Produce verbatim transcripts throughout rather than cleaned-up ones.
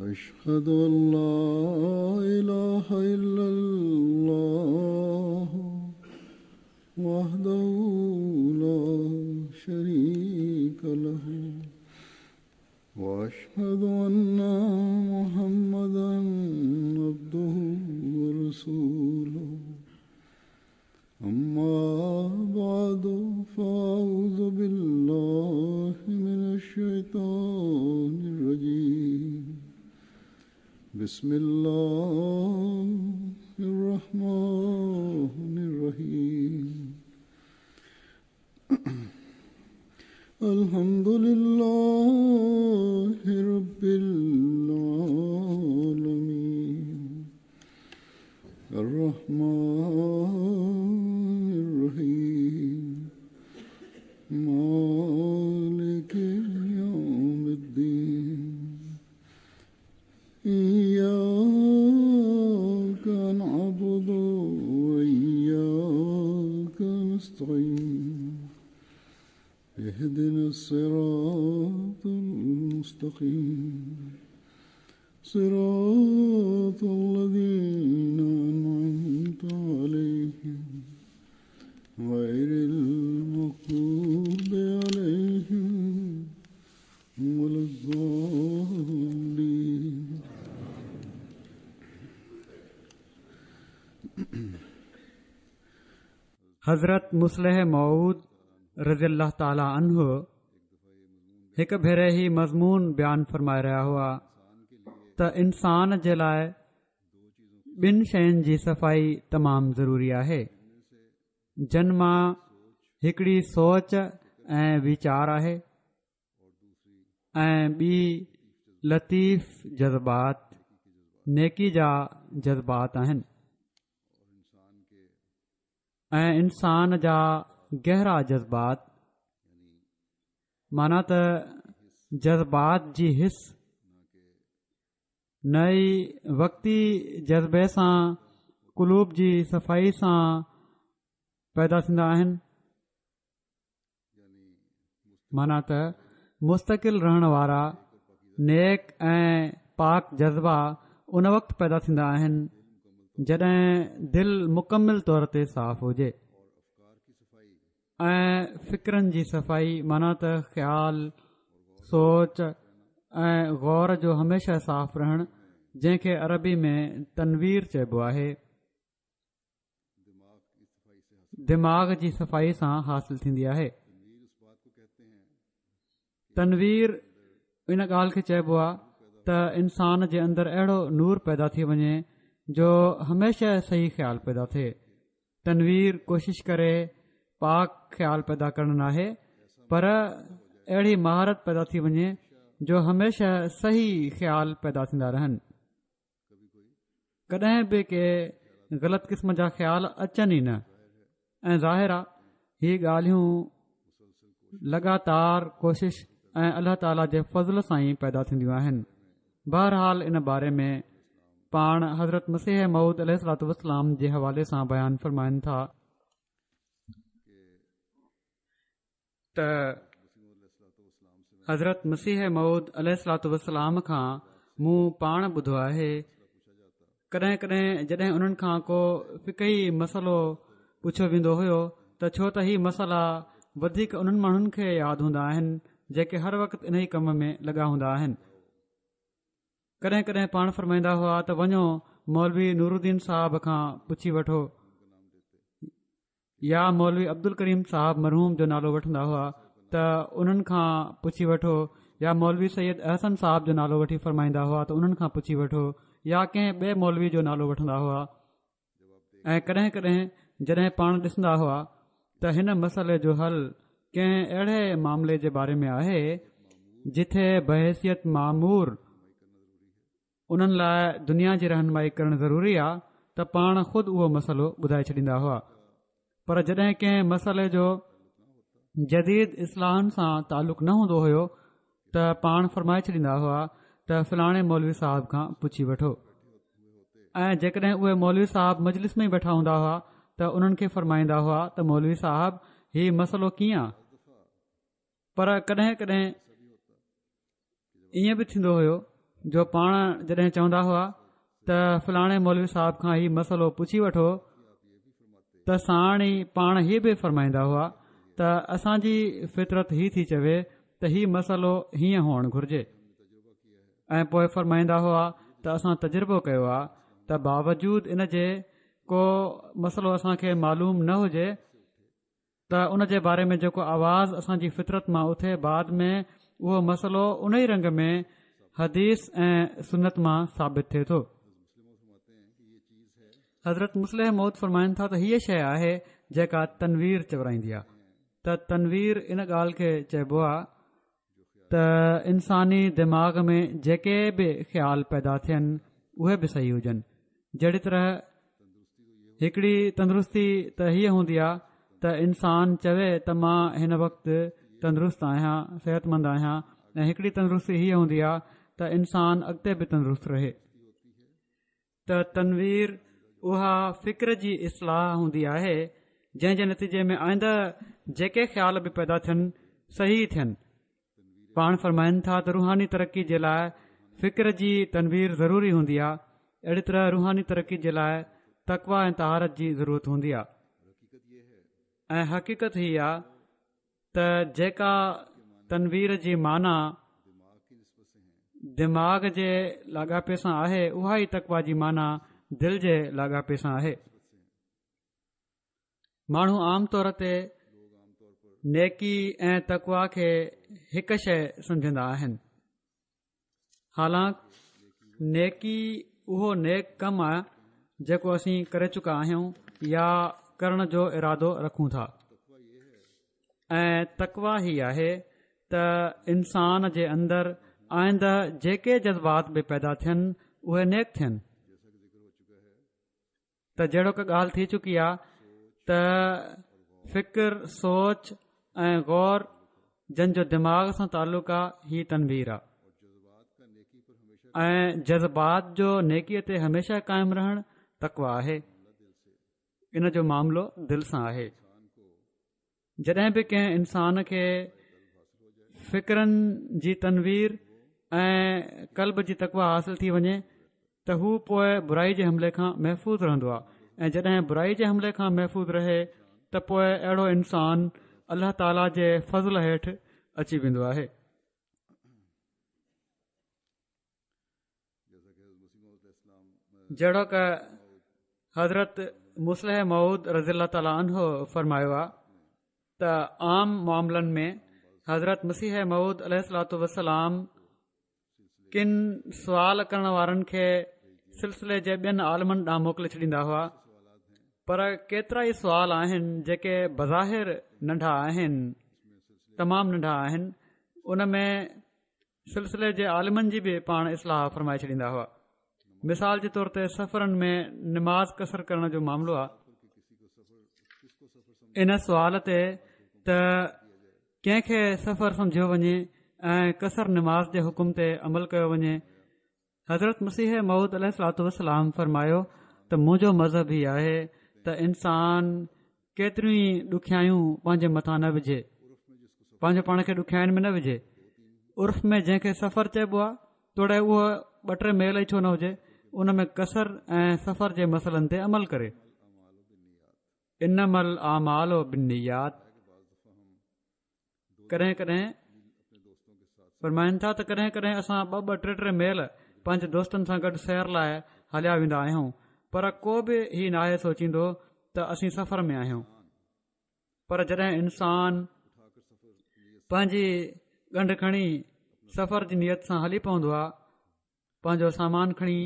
أشهد أن لا إله إلا الله وحده لا شريك له وأشهد أن محمدا عبده ورسوله أما بعد فأعوذ بالله من الشيطان الرجيم بسم الله الرحمن الرحيم الحمد لله رب العالمين الرحمن الرحيم مالك يوم الدين إياك نعبد وإياك نستعين اهدنا الصراط المستقيم صراط الذين أنعمت عليهم غير المغضوب عليهم ولا الضالين. حضرت مصلح موعود رضي الله تعالٰي عنه هڪ ڀيري هي مضمون بيان فرمائي رهيا هئا ته انسان جي لاءِ ٻن شين جي صفائي تمام ضروري آهي، جن مان هڪڙي سوچ ۽ ويچار آهي ۽ ٻي لطيف جذبات، نيڪي جا جذبات آهن ۽ انسان جا گهرا جذبات، معنيٰ ته جذبات جي حس نه ئي وقتي جذبي سان قلوب جي صفائي سان پيدا ٿيندا آهن، معنيٰ ته مستقل رهڻ وارا نيڪ ۽ پاڪ جذبا ان وقت پيدا ٿيندا آهن جڏهن دل مڪمل طور تي صاف هجي ۽ فڪرن جي صفائي، معنيٰ ته خيال، سوچ ۽ غور جو هميشه صاف رهڻ، جنهن کي عربي ۾ تنوير چئبو آهي، دماغ جي صفائي سان حاصل ٿيندي آهي. تنوير ان ڳالهه کي چئبو آهي ته انسان جي اندر اهڙو نور پيدا ٿي وڃي جو هميشه صحيح خيال پيدا ٿئي. تنوير ڪوشش ڪري پاڪ خيال پيدا ڪرڻ ناهي، پر اهڙي مهارت پيدا ٿي وڃي جو هميشه صحيح خيال پيدا ٿيندا رهن، ڪڏهن به ڪي غلط قسم جا خيال اچن ئي نه. ۽ ظاهر آهي هي ڳالهيون لڳاتار ڪوشش ۽ الله تعاليٰ جي فضل سان ئي پيدا ٿينديون آهن. بهرحال ان باري ۾ پاڻ حضرت مسيح موعود عليه الصلوة والسلام جي حوالي سان بيان فرمائن ٿا ته حضرت مسيح موعود عليه الصلوة والسلام کان مون پاڻ ٻڌو آهي، ڪڏهن ڪڏهن جڏهن انهن کان ڪو فقهي مسئلو پڇيو ويندو هيو ته ڇو ته هي مسئلا وڌيڪ انهن ماڻهن کي ياد هوندا آهن جيڪي هر وقت انهي ڪم ۾ لڳا هوندا آهن. ڪڏهن ڪڏهن پاڻ فرمائيندا هئا ته وڃو مولوي نور الدين صاحب کان پڇي وٺو، يا مولوي عبدالڪريم صاحب مرحوم جو نالو وٺندا هئا ته انهن کان پڇي وٺو، يا مولوي سيد احسن صاحب جو نالو وٺي فرمائيندا هئا ته انهن کان پڇي وٺو، يا ڪنهن ٻئي مولوي جو نالو وٺندا هئا. ۽ ڪڏهن ڪڏهن جڏهن پاڻ ڏسندا هئا ته هن مسئلي جو حل ڪنهن اهڙي معاملي جي باري ۾ آهي جٿي بحيثيت مامور انهن لاءِ دنيا جي رهنمائي ڪرڻ ضروري آهي ته پاڻ خود اهو مسئلو ٻڌائي ڇڏيندا هئا. پر جڏهن ڪنهن مسئلي جو جديد اصلاحن سان تعلق نه هوندو هيو ته پاڻ فرمائي ڇڏيندا هئا ته فلاڻي مولوي صاحب کان پڇي وٺو. ۽ جيڪڏهن اهي مولوي صاحب مجلس ۾ ئي ويٺا هوندا هئا ته انهن کي فرمائيندا هئا ته مولوي صاحب هي مسئلو ڪيئن آ؟ پر ڪڏهن ڪڏهن ائين به ٿيندو هيو جو پاڻ جڏهن چوندا هئا ته فلاڻي مولوي صاحب کان هي مسئلو پڇي وٺو ته ساڻ ئي پاڻ هي به فرمائيندا هئا ته اسان جي فطرت هي ٿي چوي ته هي مسئلو هيئن هئڻ گهرجي ۽ پوء فرمائيندا هئا ته اسان تجربو ڪيو آهي ته باوجود ان جي ڪو مسئلو اسان کي معلوم نه هجي ته ان جي باري ۾ جيڪو آواز اسان جي فطرت مان اٿي بعد ۾ اهو مسئلو ان ئي رنگ ۾ حديث ۽ سنت مان ثابت ٿئي ٿو. حضرت مصلح موعود فرمائن ٿا ته هيء شيء آهي جيڪا تنوير چورائيندي آهي ته تنوير ان ڳالهه کي چئبو آهي ته انساني دماغ ۾ جيڪي به خيال پيدا ٿين اهي به صحيح هجن. جهڙي طرح هڪڙي تندرستي ته هيء هوندي آهي ته انسان چوي ته مان هن وقت تندرست آهيان، صحتمند آهيان ۽ هڪڙي تندرستي هيء هوندي آهي ته انسان اڳتي به تندرست رهي. ته تنوير اها فڪر جي اصلاح هوندي آهي جنهن جي نتيجي ۾ آئنده جيڪي خيال به پيدا ٿين صحيح ٿين. پاڻ فرمائن ٿا ته روحاني ترقي جي لاء فڪر جي تنوير ضروري هوندي آهي، اهڙي طرح روحاني ترقي جي لاء تقويٰ ۽ طهارت جي ضرورت هوندي آهي ۽ حقيقت هي آهي ته جيڪا تنوير جي معنيٰ دماغ جي لاڳاپي سان آهي اها ئي تقويٰ جي معنيٰ دل جي لاڳاپي سان آهي. ماڻهو عام طور تي نيڪي ۽ تقويٰ کي هڪ شيء سمجهندا آهن، حالانڪ نيڪي اهو نيڪ ڪم آهي جيڪو اسين ڪري چڪا آهيون يا ڪرڻ جو ارادو رکون ٿا ۽ تقويٰ هي آهي ته انسان جي اندر آئنده جيڪي جذبات به پيدا ٿين اهي نيڪ ٿين. ته جهڙوڪ ڳالهه ٿي چڪي آهي ته فڪر، سوچ ۽ غور جن جو دماغ سان تعلق آهي هي تنوير آهي ۽ جذبات جو نيڪيء تي هميشه قائم رهڻ تقويٰ آهي. ان جو معاملو دل سان آهي. جڏهن به ڪنهن انسان کي فڪرن جي تنوير ۽ قلب جي تقويٰ حاصل ٿي وڃي ته هو پوء برائي جي حملي کان محفوظ رهندو آهي ۽ جڏهن برائي جي حملي کان محفوظ رهي ته پوء اهڙو انسان الله تعاليٰ جي فضل هيٺ اچي ويندو آهي. جهڙوڪ حضرت مصلح موعود رضي الله تعاليٰ عنه فرمايو آهي ته عام معاملن ۾ حضرت مسيح موعود عليه الصلوة والسلام ڪن سوال ڪرڻ وارن کي سلسلي جي ٻين عالمن ڏانهن موڪلي ڇڏيندا هئا، پر ڪيترا ئي سوال آهن جيڪي بظاهر ننڍا آهن، تمام ننڍا آهن، ان ۾ سلسلي جي عالمن جي به پاڻ اصلاح فرمائي ڇڏيندا هئا. مثال جي طور تي سفرن ۾ نماز قصر ڪرڻ جو معاملو آهي. ان سوال تي ته ڪنهن کي سفر سمجهيو وڃي ۽ قصر نماز جي حڪم تي عمل ڪيو وڃي، حضرت مسيح موعود عليه الصلوة والسلام فرمايو ته منهنجو مذهب هي آهي ته انسان ڪيتريون ئي ڏکيائيون پنهنجي مٿان نه وجهي، پنهنجو پاڻ کي ڏکيائين ۾ نه وجهي. عرف ۾ جنهن کي سفر چئبو آهي توڙي اهو ٻه ٽي ميل ئي ڇو نه هجي، ان ۾ قصر ۽ سفر جي مسئلن تي عمل ڪري. انما الاعمال بالنيات. ڪڏهن ڪڏهن فرمائن ٿا ته ڪڏهن ڪڏهن اسان ٻه ٻه ٽي ٽي ميل پنهنجي دوستن سان گڏ سير لاء هليا ويندا آهيون، پر ڪو به هي ناهي سوچيندو ته اسين سفر ۾ آهيون. پر جڏهن انسان پنهنجي ڳنڍ کڻي سفر جي نيت سان هلي پوندو آهي، پنهنجو سامان کڻي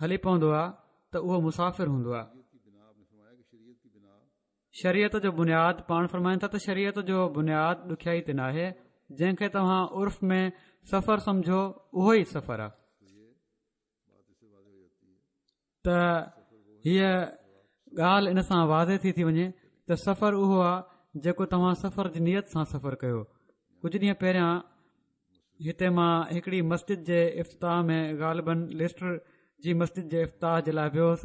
هلي پوندو آهي ته اهو مسافر هوندو آهي. شريعت جو بنياد پاڻ فرمائن ٿا ته شريعت جو بنياد ڏکيائي تي ناهي، جنهن کي توهان عرف ۾ سفر سمجهو اهو ئي سفر آهي. ته هيء ڳالهه ان سان واضح ٿي ٿي وڃي ته سفر اهو آهي جيڪو توهان سفر جي نيت سان سفر ڪيو. ڪجهه ڏينهن پهريان هتي مان هڪڙي مسجد جي افتتاح ۾ غالباً ليسٽر جي مسجد جي افتتاح جي لاء ويو هوس.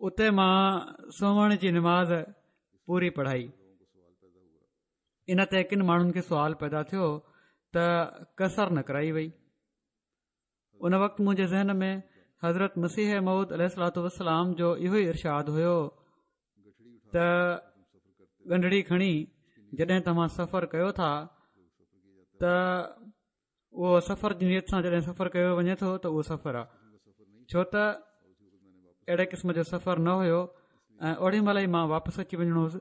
اتي مان سومهڻ جي نماز پوري پڙهائي. ان تي ڪن ماڻهن کي سوال پيدا ٿيو ته ته قصر نه ڪرائي وئي. ان وقت منهنجي ذهن ۾ حضرت مسيح موعود عليه الصلوة والسلام جو اهو ئي ارشاد هيو ته ڳنڍڙي کڻي جڏهن توهان سفر ڪيو ٿا ته اهو سفر جي نيت سان جڏهن سفر ڪيو وڃي ٿو ته اهو سفر آهي، ڇو ته اهڙي قسم جو سفر نه هيو ۽ اوڏي مهل ئي مان واپس اچي وڃڻو هوس،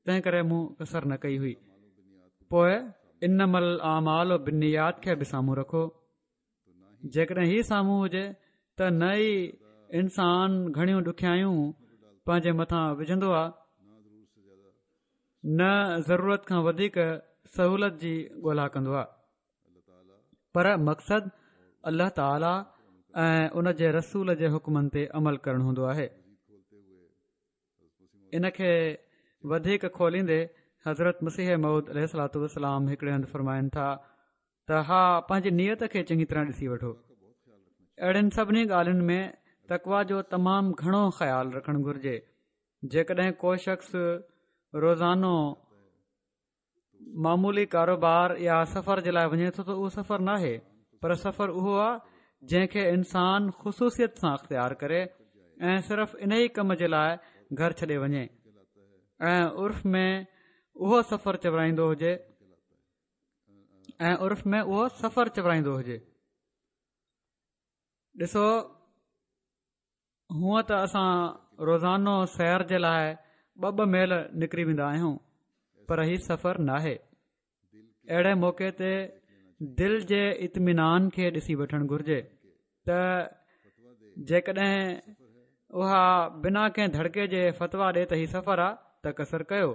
تنهن ڪري مون قصر نه ڪئي هئي. پوء انما الاعمال بالنيات کي به سامهون رکو. جيڪڏهن هي سامهون هجي ته نه ئي انسان گهڻيون ڏکيائيون پنهنجي مٿان وجهندو آهي، نه ضرورت کان وڌيڪ سهولت جي ڳولا ڪندو آهي، پر مقصد الله تعاليٰ ۽ ان جي رسول جي حڪمن تي عمل ڪرڻ هوندو آهي. ان کي وڌيڪ کوليندي حضرت مسيح موعود عليه الصلوة والسلام هڪڙي هنڌ فرمائن ٿا ته ها، پنهنجي نيت کي چڱي طرح ڏسي وٺو. اهڙين سڀني ڳالهين ۾ تقويٰ جو تمام گهڻو خيال رکڻ گهرجي. جيڪڏهن ڪو شخص روزانو معمولي ڪاروبار يا سفر جي لاء وڃي ٿو ته اهو سفر ناهي، پر سفر اهو آهي جنهن کي انسان خصوصيت سان اختيار ڪري ۽ صرف انهي ڪم جي لاء گهر ڇڏي وڃي ۽ عرف ۾ اهو سفر چورائيندو هجي ۽ عرف ۾ اهو سفر چورائيندو هجي. ڏسو، هونء ته اسان روزانو سير جي لاء ٻه ٻه ميل نڪري ويندا آهيون، پر هي سفر ناهي. اهڙي موقعي تي دل جي اطمينان کي ڏسي وٺڻ گهرجي ته جيڪڏهن اها بنا ڪنهن ڌڙڪي جي فتويٰ ڏي ته هي سفر آ ته قصر ڪيو.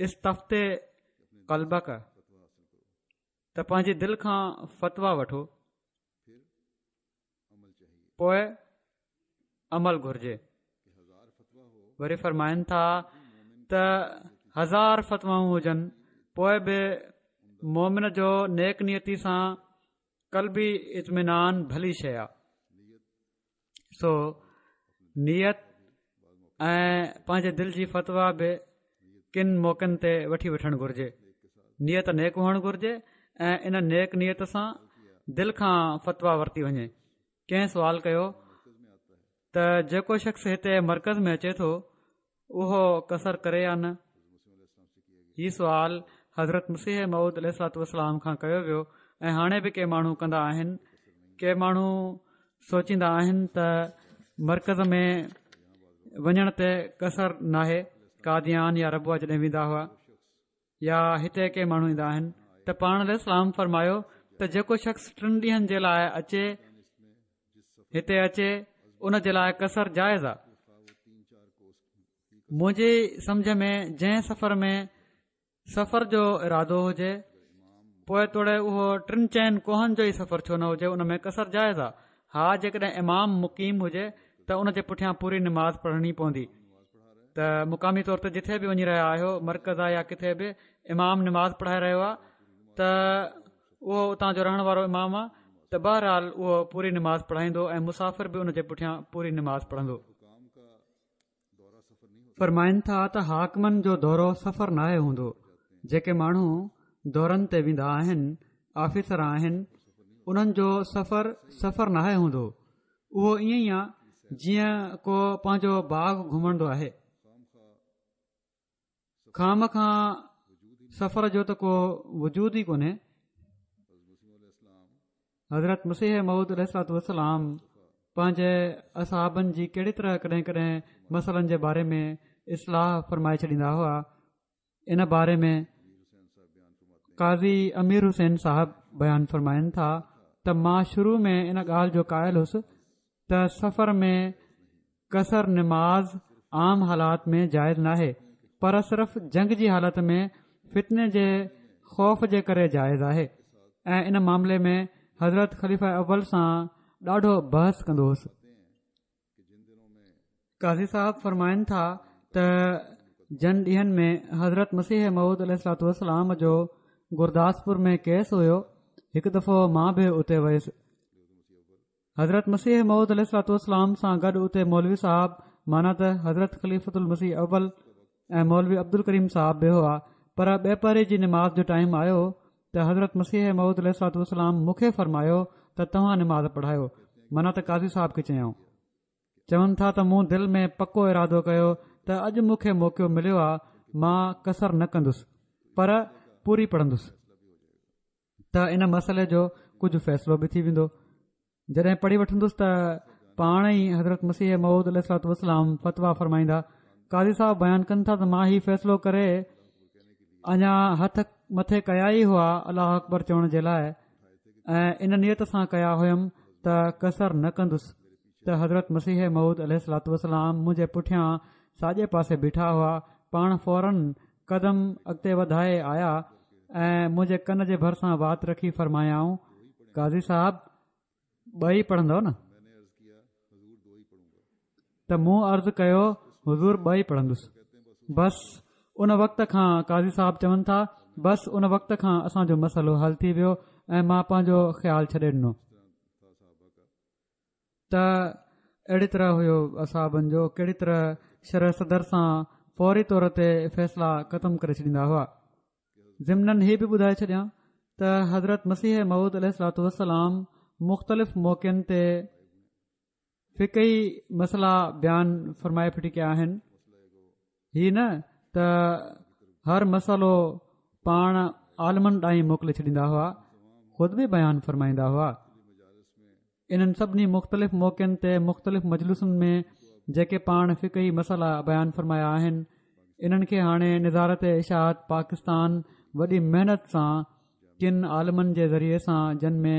استفت قلبڪ، ته پنهنجي دل کان فتويٰ وٺو، پوء عمل گهرجي. وري فرمائن ٿا ته هزار فتوائون هجن پوء به مومن جو نيڪ نيتي سان قلبي اطمينان ڀلي شيء آ. سو نيت ۽ پنهنجي دل جي فتويٰ به ڪن موقعن تي وٺي وٺڻ گهرجي. نيت نيڪ هئڻ گهرجي ۽ ان نيڪ نيت سان دل کان فتويٰ ورتي وڃي. ڪنهن سوال ڪيو ته جيڪو شخص هتي مرڪز ۾ اچي ٿو اهو قصر ڪري يا نه؟ هي سوال حضرت مسيح موعود عليه الصلوة والسلام کان ڪيو ويو ۽ هاڻي به ڪي ماڻهو ڪندا آهن. ڪي ماڻهو سوچيندا آهن ته مرڪز ۾ وڃڻ تي قصر ناهي، قاديان يا ربوه جڏهن ويندا هئا يا هتي ڪي ماڻهو ايندا آهن ته پاڻ عليه السلام فرمايو ته جيڪو شخص ٽن ڏينهن جي لاء اچي هتي اچي ان جي لاء قصر جائز آهي. منهنجي سمجه ۾ جنهن سفر ۾ سفر جو ارادو هجي پوء توڙي اهو ٽن چئن ڪوهن جو ئي سفر ڇو نه هجي ان ۾ قصر جائز آهي. ها جيڪڏهن امام مقيم هجي ته ان جي پٺيان پوري نماز پڙهڻي پوندي. ته مقامي طور تي جٿي به وڃي رهيا آهيو، مرڪز آهي يا ڪٿي به، امام نماز پڙهائي رهيو آهي ته اهو اتان جو رهڻ وارو امام آهي ته بهرحال اهو پوري نماز پڙهائيندو ۽ مسافر به ان جي پٺيان پوري نماز پڙهندو. فرمائن ٿا ته حاڪمن جو دورو سفر ناهي هوندو، جيڪي ماڻهو دورن تي ويندا آهن، آفيسر آهن، انهن جو سفر سفر ناهي هوندو، اهو ائين ئي آهي جيئن ڪو پنهنجو باغ گهمندو آهي. خوامخواه سفر جو ته ڪو وجود ئي ڪونهي. حضرت مسيح موعود عليه الصلوة والسلام پنهنجي اصحابن جي ڪهڙي طرح ڪڏهن ڪڏهن مسئلن جي باري ۾ اصلاح فرمائي ڇڏيندا هئا، ان باري ۾ قاضي امير حسين صاحب بيان فرمائن ٿا ته مان شروع ۾ ان ڳالهه جو قائل هوس ته سفر ۾ قصر نماز عام حالات ۾ جائز ناهي، پر صرف جنگ جي حالت ۾ فتني جي خوف جي ڪري جائز آهي ۽ ان معاملي ۾ حضرت خليفه اول سان ڏاڍو بحث ڪندو هوس. قاضي صاحب فرمائن ٿا ته جن ڏينهن ۾ حضرت مسيح موعود عليه الصلوة والسلام جو گرداسپور ۾ ڪيس هيو، هڪ دفعو مان به اتي ويس. حضرت مسيح موعود عليه الصلوة والسلام سان گڏ اتي مولوي صاحب معنيٰ ته حضرت خليفة المسيح اول ۽ مولوي عبدالڪريم صاحب به هئا. پر ٻپهري جي نماز جو ٽائيم آيو ته حضرت مسيح موعود عليه الصلوة والسلام مون کي فرمايو ته توهان نماز پڙهايو، معنيٰ ته قاضي صاحب کي چيائون. چون ٿا ته مون دل ۾ پڪو ارادو ڪيو ته اڄ مون کي موقعو مليو آ، مان قصر نه ڪندس پر پوري پڙهندس ته ان مسئلي جو ڪجهه فيصلو به ٿي ويندو. جڏهن پڙهي وٺندس ته پاڻ ئي حضرت مسيح موعود عليه الصلوة والسلام فتويٰ فرمائيندا. قاضي صاحب بيان ڪن ٿا ته مان هي فيصلو ڪري اڃا هٿ مٿي ڪيا ئي هئا الله اڪبر چوڻ جي لاء، ۽ ان نيت سان ڪيا هيم ته قصر نه ڪندس ته حضرت مسيح موعود عليه الصلوة والسلام منهنجي پٺيان ساڄي پاسي بيٺا هئا. پاڻ فوراً قدم اڳتي وڌائي آيا ۽ منهنجي ڪن جي ڀرسان وات رکي فرمايائون، قاضي صاحب ٻه ئي پڙهندؤ نه؟ ته مون عرض ڪيو، حضور ٻه ئي پڙهندس. بس ان وقت کان قاضي صاحب چون ٿا، بس ان وقت کان اسان جو مسئلو حل ٿي ويو ۽ مان پنهنجو خيال ڇڏي ڏنو. ته اهڙي طرح هيو اصحابن جو، ڪهڙي طرح شرح صدر سان فوري طور تي فيصلا ختم ڪري ڇڏيندا هئا. ضمناً هي به ٻڌائي ڇڏيان ته حضرت مسيح موعود عليه الصلوة والسلام مختلف موقعن تي فقهي مسئلا بيان فرمائي ڦٽي ڪيا آهن. هي نه ته هر مسئلو پاڻ عالمن ڏانهن موڪلي ڇڏيندا هئا، خود به بيان فرمائيندا هئا. انهن سڀني مختلف موقعن تي مختلف مجلسن ۾ جيڪي پاڻ فقهي مسئلا بيان فرمايا آهن، انهن کي هاڻي نظارت اشاعت پاڪستان وڏي محنت سان ڪن عالمن جي ذريعي سان، جن ۾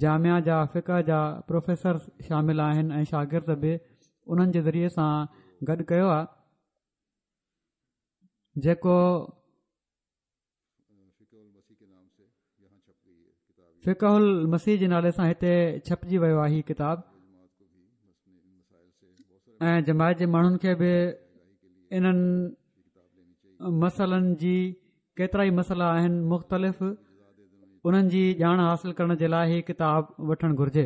جامعه جا فقه جا پروفيسر شامل آهن ۽ شاگرد به، انهن جي ذريعي سان گڏ ڪيو آهي، جيڪو فقه المسيح جي نالي سان هتي ڇپجي ويو آهي هي ڪتاب، ۽ جماعت جي ماڻهن کي به انهن مسئلن جي ڪيترا ئي مسئلا آهن مختلف، انهن جي ڄاڻ حاصل ڪرڻ جي لاء هي ڪتاب وٺڻ گهرجي.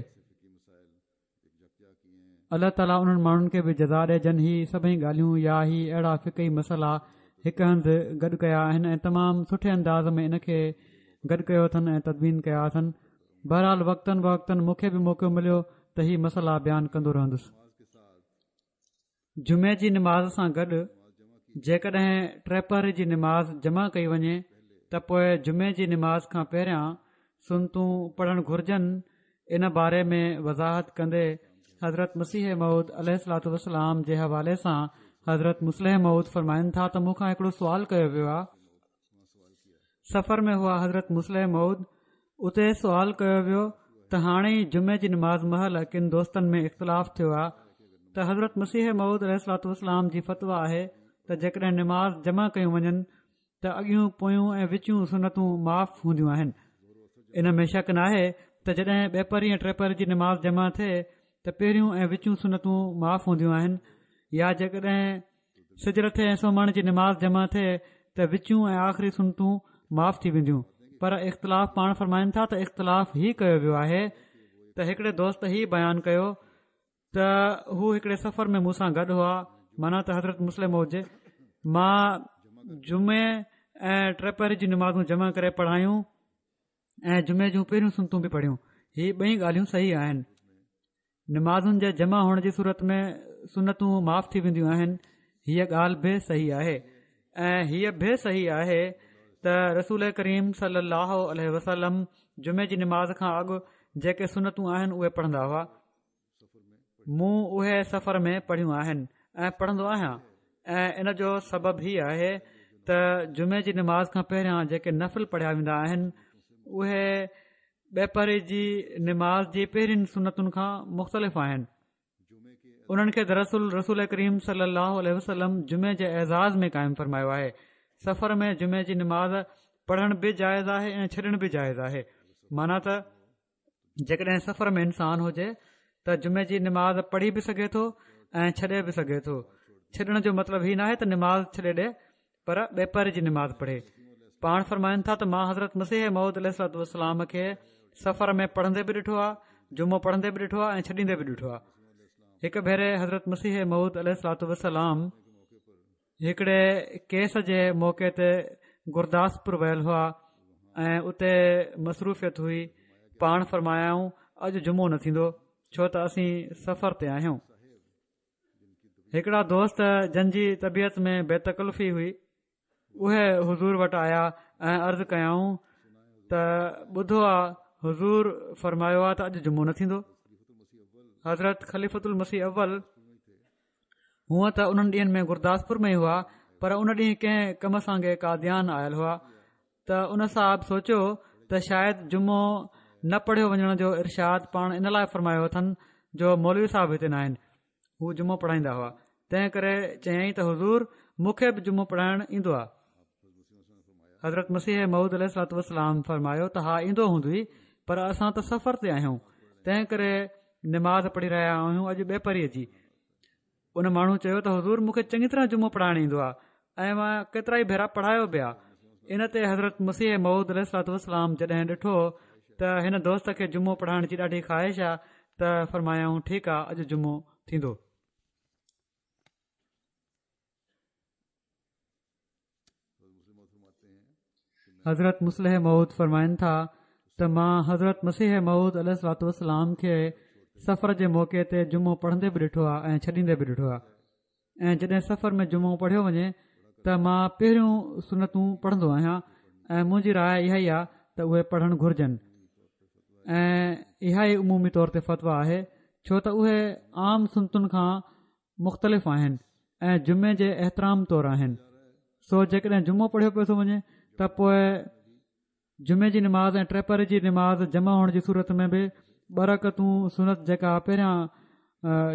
الله تعاليٰ انهن ماڻهن کي به جزا ڏي جن هي سڀئي ڳالهيون يا هي اهڙا فقهي مسئلا هڪ هنڌ گڏ ڪيا آهن ۽ تمام سٺي انداز ۾ ان کي گڏ ڪيو اٿن ۽ تدوين ڪيا اٿن. بهرحال وقتاً فوقتاً مون کي به موقعو مليو ته هي مسئلا بيان ڪندو رهندس. جمعي جي نماز سان گڏ جيڪڏهن ٽيپهري جي نماز جمع ڪئي وڃي ته پوء جمعي جي نماز کان پهريان سنتون پڙهڻ گهرجن. ان باري ۾ وضاحت ڪندي حضرت مسيح موعود عليه الصلوة والسلام جي حوالي سان حضرت مصلح موعود فرمائن ٿا ته مون کان هڪڙو سوال ڪيو ويو آهي. سفر ۾ هئا حضرت مصلح موعود، اتي سوال ڪيو ويو ته هاڻي ئي جمعي جي نماز مهل ڪن دوستن ۾ اختلاف ٿيو آهي ته حضرت مسيح موعود عليه الصلوة والسلام جي فتويٰ آهي ته جيڪڏهن نماز جمع ڪيون وڃن ته اڳيون پويون ۽ وچيون سنتون معاف هونديون آهن. ان ۾ شڪ ناهي ته جڏهن ٻپهري ۽ ٽيپهري جي نماز جمع ٿئي ته پهريون ۽ وچيون سنتون معاف هونديون آهن، يا جيڪڏهن سج لٿي ۽ سومهاڻي جي نماز جمع ٿئي ته وچيون ۽ آخري سنتون معاف ٿي وينديون. پر اختلاف پاڻ فرمائن ٿا ته اختلاف هي ڪيو ويو آهي ته هڪڙي دوست هي بيان ڪيو ته هو هڪڙي سفر ۾ مون سان گڏ هئا، معنيٰ ته حضرت مصلح موعود جي، مان جمعي ۽ ٽيپهري جون نمازون جمع ڪري پڙهايون ۽ جمعي جون پهريون سنتون به پڙهيون. هي ٻئي ڳالهيون صحيح آهن. نمازن جي جمع هئڻ جي صورت ۾ سنتون معاف ٿي وينديون آهن، هيء ڳالهه به صحيح آهي. ۽ هيء به صحيح آهي ته رسول ڪريم صلي الله عليه وسلم جمعي جي نماز کان اڳ جيڪي سنتون آهن اهي پڙهندا هئا. مون اهي سفر ۾ پڙهيون آهن ۽ پڙهندو آهيان، ۽ ان جو سبب هي آهي ته جمعي جي نماز کان پهريان جيڪي نفل پڙهيا ويندا آهن اهي ٻپهري جي نماز جي پهرين سنتن کان مختلف آهن. انهن کي دراصل رسول ڪريم صلي الله عليه وسلم جمعي جي اعزاز ۾ قائم فرمايو آهي. سفر ۾ جمعي جي نماز پڙهڻ به جائز آهي ۽ ڇڏڻ به جائز آهي. معنيٰ ته جيڪڏهن سفر ۾ انسان هجي ته جمعي جي نماز پڙهي به سگهي ٿو ۽ ڇڏي به سگهي ٿو. ڇڏڻ جو مطلب هي ناهي ته نماز ڇڏي ڏي، پر ٻپهري جي نماز پڙهي. پاڻ فرمائن ٿا ته مان حضرت مسيح موعود عليه الصلوة والسلام کي سفر ۾ پڙهندي به ڏٺو آهي، جمعو پڙهندي به ڏٺو آهي ۽ ڇڏيندي به ڏٺو آهي. هڪ ڀيري حضرت مسيح موعود عليه الصلوة والسلام هڪڙي ڪيس جي موقعي تي گرداسپور ويل هئا ۽ اتي مصروفيت هئي. پاڻ فرمايائون اڄ جمعو نه ٿيندو ڇو ته اسين سفر تي آهيون. هڪڙا دوست جن جي طبيعت ۾ بي تڪلفي هئي اهي حضور وٽ آيا ۽ عرض ڪيائون ته ٻڌو آ حضور فرمايو آ ته اڄ جمعو نه ٿيندو. حضرت خليفة المسيح اول هونء ته انهن ڏينهن ۾ گرداسپور ۾ ئي هئا پر ان ڏينهن ڪنهن ڪم سانگي قاديان آيل هئا ته ان صاحب سوچيو ته شايد جمعو نه پڙهيو وڃڻ جو ارشاد پاڻ ان لاء فرمايو اٿن جو مولوي صاحب هتي نه آهن، هو جمعو پڙهائيندا هئا، تنهن ڪري چيائين ته حضور مون کي به جمعو پڙهائڻ ايندو آهي. حضرت مسيح موعود عليه الصلوة والسلام فرمايو ته ها ايندو هوندوئي پر اسان ته سفر تي آهيون تنهن ڪري نماز پڙهي رهيا آهيون اڄ ٻپهريء جي. ان ماڻهو چيو ته حضور مون کي چڱي طرح جمعو پڙهائڻ ايندو آهي ۽ مان ڪيترا ئي ڀيرا پڙهايو به آهي. ان تي حضرت مسيح موعود عليه الصلوة والسلام جڏهن ڏٺو ته هن دوست کي جمعو پڙهائڻ جي ڏاڍي خواهش آهي ته فرمايائون ٺيڪ آهي اڄ جمعو ٿيندو. حضرت مصلح موعود فرمائن ٿا ته مان حضرت مسيح موعود عليه الصلوة والسلام کي سفر جي موقعي تي جمعو پڙهندي به ڏٺو آهي ۽ ڇڏيندي به ڏٺو آهي ۽ جڏهن سفر ۾ جمعو پڙهيو وڃي ته مان پهريون سنتون پڙهندو آهيان ۽ منهنجي راء اها ئي آهي ته اهي پڙهڻ گهرجن ۽ اها ئي عمومي طور تي فتويٰ آهي ڇو ته اهي عام سنتن کان مختلف آهن ۽ جمعي جي احترام طور آهن سو جيڪڏهن جمعو پڙهيو پيو ٿو وڃي ته پوء جمعي جي نماز ۽ ٽيپهري جي نماز جمع هئڻ جي صورت ۾ به ٻه رڪعتون سنت جيڪا پهريان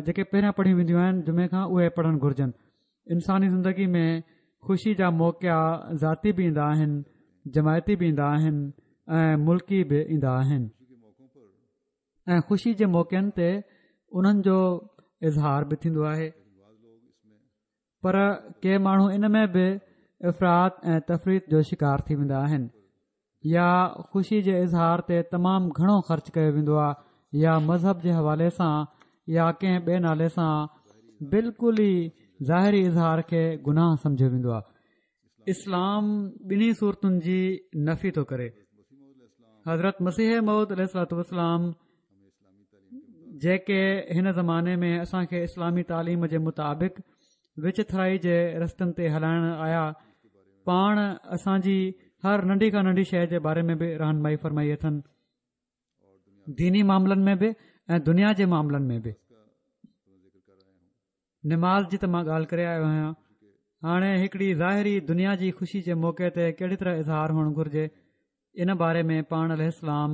جيڪي پهريان پڙهيون وينديون آهن جمعي کان اهي پڙهڻ گهرجن. انساني زندگي ۾ خوشي جا موقعا ذاتي به ايندا آهن، جماعتي به ايندا آهن ۽ ملڪي به ايندا آهن ۽ خوشي جي موقعن تي انهن جو اظهار به ٿيندو آهي. پر ڪي ماڻهو ان ۾ به افراط ۽ تفريط جو شڪار ٿي ويندا آهن يا خوشي جي اظهار تي تمام گهڻو خرچ ڪيو ويندو آهي يا مذهب جي حوالي سان يا ڪنهن ٻئي نالي سان بلڪل ئي ظاهري اظهار کي گناهه سمجهيو ويندو آهي. اسلام ٻنهي صورتن جي نفي ٿو ڪري. حضرت مسيح موعود عليه الصلوة والسلام جيڪي هن زماني ۾ اسان کي اسلامي تعليم جي مطابق وچٿرائي جي رستن تي هلائڻ آيا پاڻ اسان جي هر ننڍي کان ننڍي شيء جي باري ۾ به رهنمائي فرمائي اٿن ديني معاملن ۾ به ۽ دنيا جي معاملن ۾ به نماز جي ته مان ڳالهه ڪري آيو آهيان هاڻي هڪڙي ظاهري دنيا جي خوشي جي موقعي تي ڪهڙي طرح اظهار هئڻ گهرجي ان باري ۾ پاڻ عليه السلام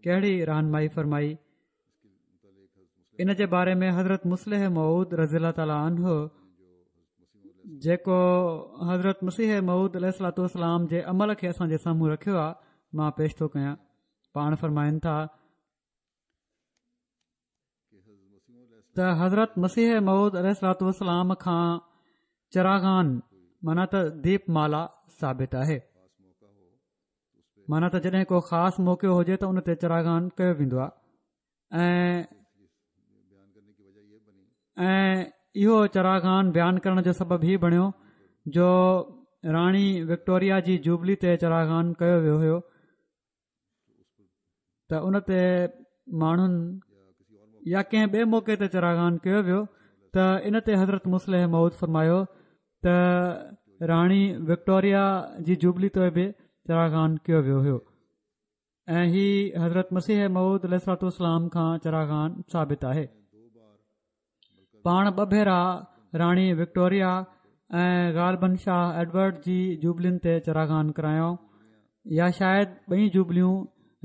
ڪهڙي رهنمائي فرمائي ان جي باري ۾ حضرت مصلح موعود رضي الله تعاليٰ عنه جيڪو حضرت مسيح موعود عليه الصلوة والسلام جي عمل کي اسان جي سامهون رکيو آهي مان پيش ٿو ڪيان پاڻ فرمائن ٿا ته حضرت مسيح موعود عليه الصلوة والسلام کان چراغان معنيٰ ته ديپ مالا ثابت آهي معنيٰ ته جڏهن ڪو خاص موقعو هجي ته ان تي چراغان ڪيو ويندو آهي ۽ ۽ اهو چراغان بيان ڪرڻ جو سبب هي بڻيو جو راڻي وڪٽوريا جي جوبلي تي چراغان ڪيو ويو هيو ته ان تي ماڻهن يا ڪنهن ٻئي موقعي تي چراغان ڪيو ويو ته ان تي حضرت مصلح موعود فرمايو ته راڻي وڪٽوريا جي جوبلي تي به چراغان ڪيو ويو هيو ۽ هي حضرت مسيح موعود عليه الصلوة والسلام کان چراغان ثابت آهي پاڻ ٻه ڀيرا راڻي وڪٽوريا ۽ غالباً شاهه ايڊورڊ جي جوبلين تي چراغان ڪرايو يا شايد ٻئي جوبليون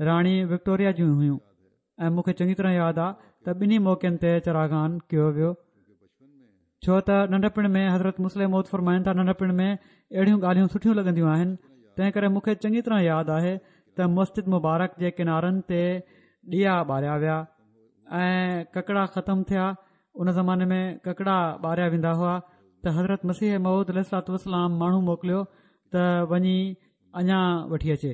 راڻي وڪٽوريا جون هيون ۽ مون کي چڱي طرح ياد آ ته ٻنهي موقعن تي چراغان ڪيو ويو ڇو ته ننڍپڻ ۾ حضرت مصلح موعود فرمائن ٿا ننڍپڻ ۾ اهڙيون ڳالهيون سٺيون لڳنديون آهن تنهن ڪري مون کي چڱي طرح ياد آهي ته مسجد مبارڪ جي ڪنارن تي ڏيئا ٻاريا ويا ۽ ڪڪڙا ختم ٿيا ان زماني ۾ ڪڪڙا ٻاريا ويندا هئا ته حضرت مسيح موعود عليه الصلوة والسلام ماڻهو موڪليو ته وڃي اڃا وٺي اچي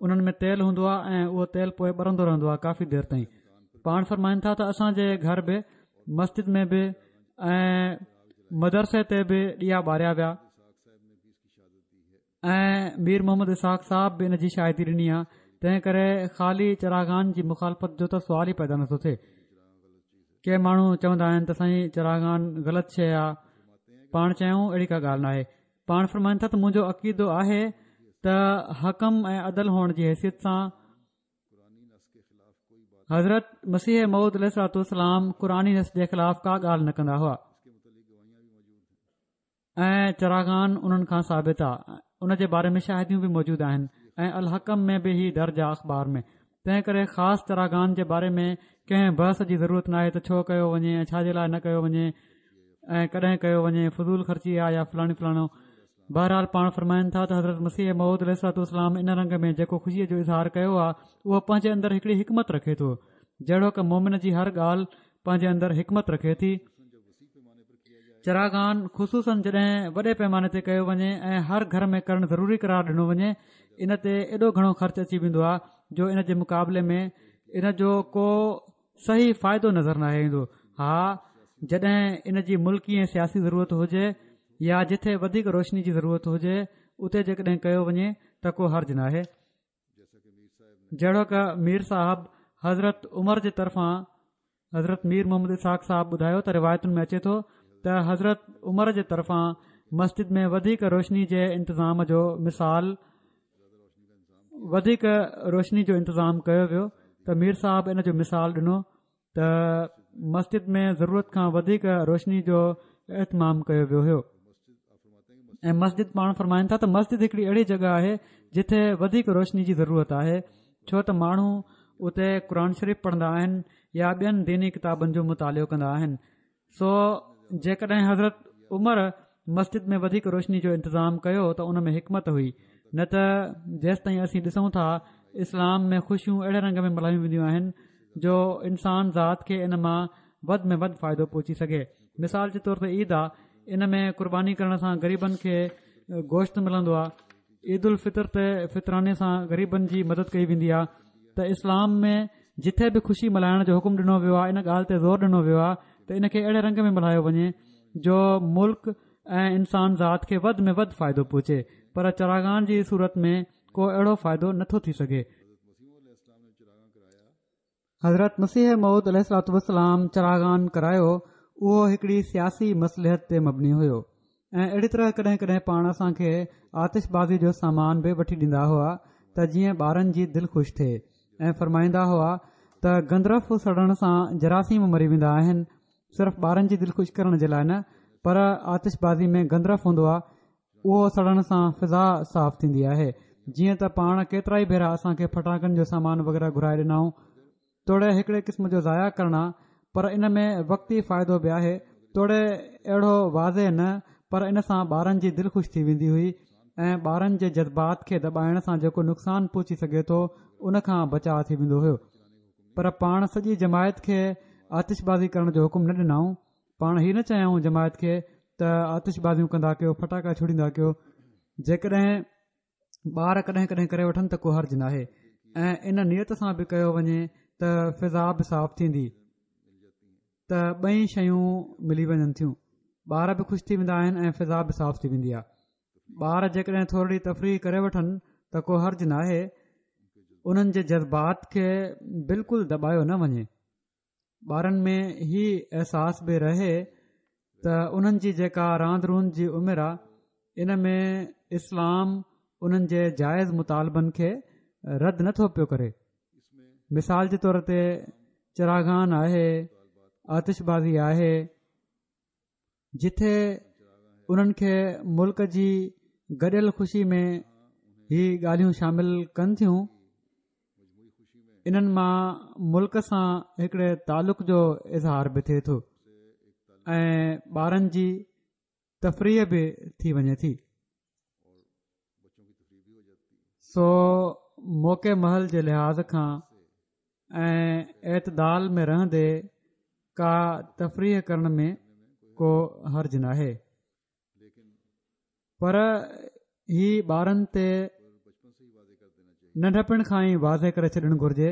انهن ۾ تيل هوندو آهي ۽ اهو تيل پوء ٻرندو رهندو آهي ڪافي دير تائين پاڻ فرمائن ٿا ته اسان جي گهر به مسجد ۾ به ۽ مدرسي تي به ڏيئا ٻاريا ويا ۽ مير محمد اسحاق صاحب به ان جي شاهدي ڏني آهي. تنهن ڪري خالي چراغان جي مخالفت جو ته سوال ئي پيدا نٿو ٿئي. ڪي ماڻهو چوندا آهن ته سائين چراغان غلط شيء آهي، پاڻ چيائون اهڙي ڪا ڳالهه ناهي. پاڻ فرمائن ٿا ته منهنجو عقيدو آهي ته حڪم ۽ عدل هئڻ جي حيثيت سان حضرت مسيح موعود عليه الصلوة والسلام قرآني نص جي خلاف ڪا ڳالهه نه ڪندا هئا ۽ چراغان انهن کان ثابت آ، ان جي باري ۾ شاهديون به موجود آهن ۽ الحڪم ۾ به هي درج آ اخبار ۾. تنهن ڪري خاص چراغان جي باري ۾ ڪنهن بحث جي ضرورت ناهي ته ڇو ڪيو وڃي ۽ ڇا جي لاء نه ڪيو وڃي ۽ ڪڏهن ڪيو وڃي، فضول خرچي آ يا فلاڻي فلاڻو. بهرحال پاڻ فرمائن ٿا ته حضرت مسيح موعود عليه الصلوة والسلام ان رنگ ۾ جيڪو خوشيء جو اظهار ڪيو آ اهو پنهنجي اندر هڪڙي حڪمت رکي ٿو، جهڙوڪ مومن جي هر ڳالهه پنهنجي اندر حڪمت رکي ٿي. چراغان خصوصاً جڏهن وڏي پيماني تي ڪيو وڃي ۽ هر گهر ۾ ڪرڻ ضروري قرار ڏنو وڃي، ان تي ايڏو گهڻو خرچ اچي ويندو آ جو ان جي مقابلي ۾ ان جو ڪو صحيح فائدو نظر ناهي ايندو. ها جڏهن ان جي ملڪي ۽ سياسي ضرورت هجي يا جٿي وڌيڪ روشني جي ضرورت هجي اتي جيڪڏهن ڪيو وڃي ته ڪو حرج ناهي. جهڙوڪ مير صاحب حضرت عمر جي طرفان حضرت مير محمد اسحاق صاحب ٻڌايو ته روايتن ۾ اچي ٿو ته حضرت عمر جي طرفان مسجد ۾ وڌيڪ روشني جي انتظام جو مثال وڌيڪ روشني جو انتظام ڪيو ويو ته مير صاحب ان جو مثال ڏنو ته مسجد ۾ ضرورت کان وڌيڪ روشني جو اهتمام ڪيو ويو هيو. ۽ مسجد پاڻ فرمائن ٿا ته مسجد هڪڙي اهڙي جڳهه آهي جتي وڌيڪ روشني جي ضرورت آهي، ڇو ته ماڻهو اتي قرآن شريف پڙهندا آهن يا ٻين ديني ڪتابن جو مطالعو ڪندا آهن. سو جيڪڏهن حضرت عمر مسجد ۾ وڌيڪ روشني جو انتظام ڪيو ته ان ۾ حڪمت هئي، نه ته جيستائين اسين ڏسون ٿا اسلام ۾ خوشيون اهڙي رنگ ۾ ملهايون وينديون آهن جو انسان ذات کي ان مان وڌ ۾ وڌ فائدو پهچي سگهي. مثال جي طور تي عيد آ، ان ۾ قرباني ڪرڻ سان غريبن کي گوشت ملندو آ، عيد الفطر تي فطراني سان غريبن جي مدد ڪئي ويندي آ. ته اسلام ۾ جٿي به خوشي ملهائڻ جو حڪم ڏنو ويو آ ان ڳالهه تي زور ڏنو ويو آ ته ان کي اهڙي رنگ ۾ ملهايو وڃي جو ملڪ ۽ انسان ذات کي وڌ ۾ وڌ فائدو پهچي، پر چراغان جي صورت ۾ ڪو اهڙو فائدو نٿو ٿي سگهي. حضرت مسيح موعود عليه الصلوة والسلام چراغان ڪرايو اهو هڪڙي سياسي مصلحت تي مبني هيو ۽ اهڙي طرح ڪڏهن ڪڏهن پاڻ اسان کي آتش بازي جو سامان به وٺي ڏيندا هئا ته جيئن ٻارن جي دل خوش ٿئي ۽ فرمائيندا هئا ته گندرف سڙڻ سان جراثيم مري ويندا آهن، صرف ٻارن جي دل خوش ڪرڻ جي لاء نه پر آتش بازي ۾ گندرف هوندو آهي اهو سڙڻ سان فضا صاف ٿيندي آهي. جيئن ته پاڻ ڪيترائي ڀيرا اسان کي ڦٽاڪن جو سامان وغيره گهرائي ڏنائون، توڙي هڪڙي قسم جو ضايع ڪرڻ آ پر ان ۾ وقتي فائدو به آهي، توڙي اهڙو واضح نه پر ان سان ٻارن جي دل خوش ٿي ويندي هئي ۽ ٻارن جي جذبات کي دٻائڻ سان جيڪو نقصان پهچي سگهي ٿو ان کان بچاء ٿي ويندو هيو. پر پاڻ سڄي جماعت کي آتش بازي ڪرڻ جو حڪم نه ڏنائون. پاڻ هي نه چيائون جماعت کي ته آتش بازيون ڪندا ڪيو، ڦٽاڪا ڇوڙيندا ڪيو. جيڪڏهن ٻار ڪڏهن ڪڏهن ڪري وٺن ته ڪو حرج ناهي ۽ ان نيت سان به ڪيو وڃي ته فضا به صاف ٿيندي ته ٻئي شيون ملي وڃن ٿيون، ٻار به خوش ٿي ويندا آهن ۽ فضا به صاف ٿي ويندي آهي. ٻار جيڪڏهن ٿورڙي تفريح ڪري وٺن ته ڪو حرج ناهي، انهن جي جذبات کي بلڪل دٻايو نه وڃي. ٻارن ۾ هي احساس به رهي ته انهن جي جيڪا راند روند جي عمر آ ان ۾ اسلام انهن جي جائز مطالبن کي رد نٿو پيو ڪري. مثال جي طور تي چراغان آهي، آتش بازي آهي، جٿي انهن کي ملڪ جي گڏيل خوشي ۾ هي ڳالهيون شامل ڪن ٿيون، انهن مان ملڪ سان هڪڙي تعلق جو اظهار به ٿئي ٿو ۽ ٻارن جي تفريح به ٿي وڃي ٿي. سو موقعي محل جي لحاظ کان ۽ اعتدال ۾ رهندي ڪا تفريح ڪرڻ ۾ ڪو حرج ناهي، پر هي ٻارن تي ننڍپڻ کان ئي واضح ڪري ڇڏڻ گهرجي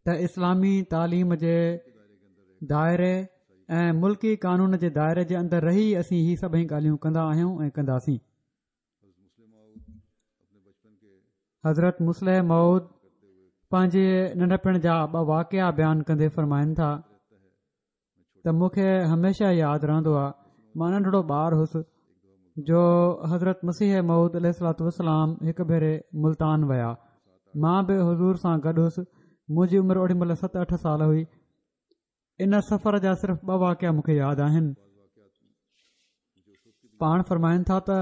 ته اسلامي تعليم جي دائري ۽ ملڪي قانون جي دائري جي اندر رهي اسين هي سڀئي ڳالهيون ڪندا آهيون ۽ ڪنداسين. حضرت مصلح موعود پنهنجي ننڍپڻ جا ٻه واقعا بيان ڪندي فرمائن ٿا ته مون کي هميشه ياد رهندو آهي، مان ننڍڙو ٻار هوس جو حضرت مسيح موعود عليه الصلوة والسلام هڪ ڀيري ملتان ويا. مان به حضور سان گڏ هوس. منهنجي عمر اوڏي مهل ست اٺ سال هئي. ان سفر جا صرف ٻه واقعا مون کي ياد آهن. پاڻ فرمائن ٿا ته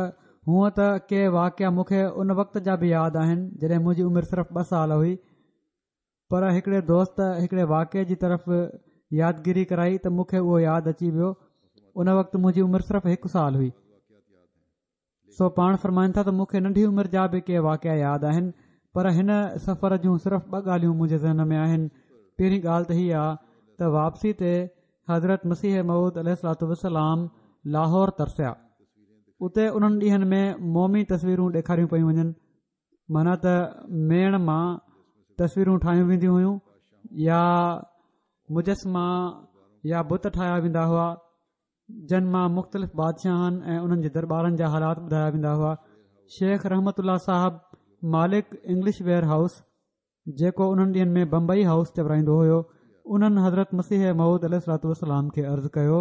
هونء ته ڪي واقعا مون کي ان وقت جا به ياد آهن جڏهن منهنجي عمر صرف ٻه سال هئي، پر هڪڙي دوست هڪڙي واقعي جي طرف يادگيري ڪرائي ته مون کي اهو ياد اچي ويو. ان وقت منهنجي عمر صرف هڪ سال هئي. سو پاڻ فرمائن ٿا ته مون کي ننڍي عمر جا به ڪي واقعا ياد آهن، پر هن سفر جون صرف ٻه ڳالهيون منهنجي ذهن ۾ آهن. پهرين ڳالهه ته هي آ ته واپسي تي حضرت مسيح موعود عليه الصلوة والسلام لاهور ترسيا. اتي انهن ڏينهن ۾ مومي تصويرون ڏيکاريون پيون وڃن، معنيٰ ته ميڻ مان تصويرون ٺاهيون وينديون هيون يا مجسما يا بت ٺاهيا ويندا هئا، جن مان مختلف بادشاهن ۽ انهن جي درٻارن جا حالات ٻڌايا ويندا هئا. شيخ رحمت الله صاحب مالڪ انگلش ويئر هائوس، جيڪو انهن ڏينهن ۾ بمبئي هائوس چورائيندو هيو، انهن حضرت مسيح موعود عليه الصلوة والسلام کي عرض ڪيو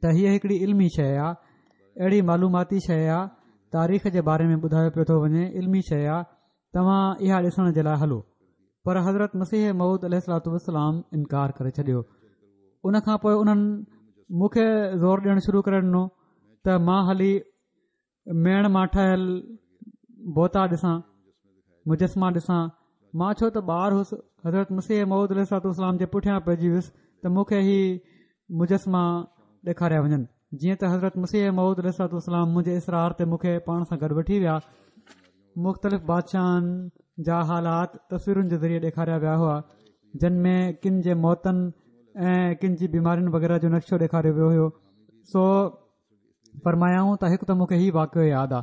ته هيء هڪڙي علمي شيء آ، اهڙي معلوماتي شيء آ، تاريخ جي باري ۾ ٻڌايو پيو ٿو وڃي، علمي شيء آ، توهان اها ڏسڻ جي لاء هلو. پر حضرت مسيح موعود عليه الصلوة والسلام انڪار ڪري ڇڏيو. ان کان پوء انهن مون کي زور ڏيڻ شروع ڪري ڏنو ته مان هلي ميڻ مان ٺهيل بوتا ڏسان، مجسما ڏسان. مان ڇو ته ٻار هوس، حضرت مسيح موعود عليه الصلوة والسلام جي پٺيان پئجي ويس ته مون کي هي مجسما ڏيکاريا وڃن. جيئن ته حضرت مسيح موعود عليه الصلوة والسلام منهنجي اصرار تي مون کي پاڻ سان گڏ وٺي ويا. مختلف بادشاهن جا حالات تصويرن جي ذريعي ڏيکاريا ويا هئا، جن ۾ ڪن جي موتن ۽ ڪن جي بيمارين وغيره جو نقشو ڏيکاريو ويو هيو. سو فرمايائون ته هڪ ته مون کي هي واقعو ياد آ.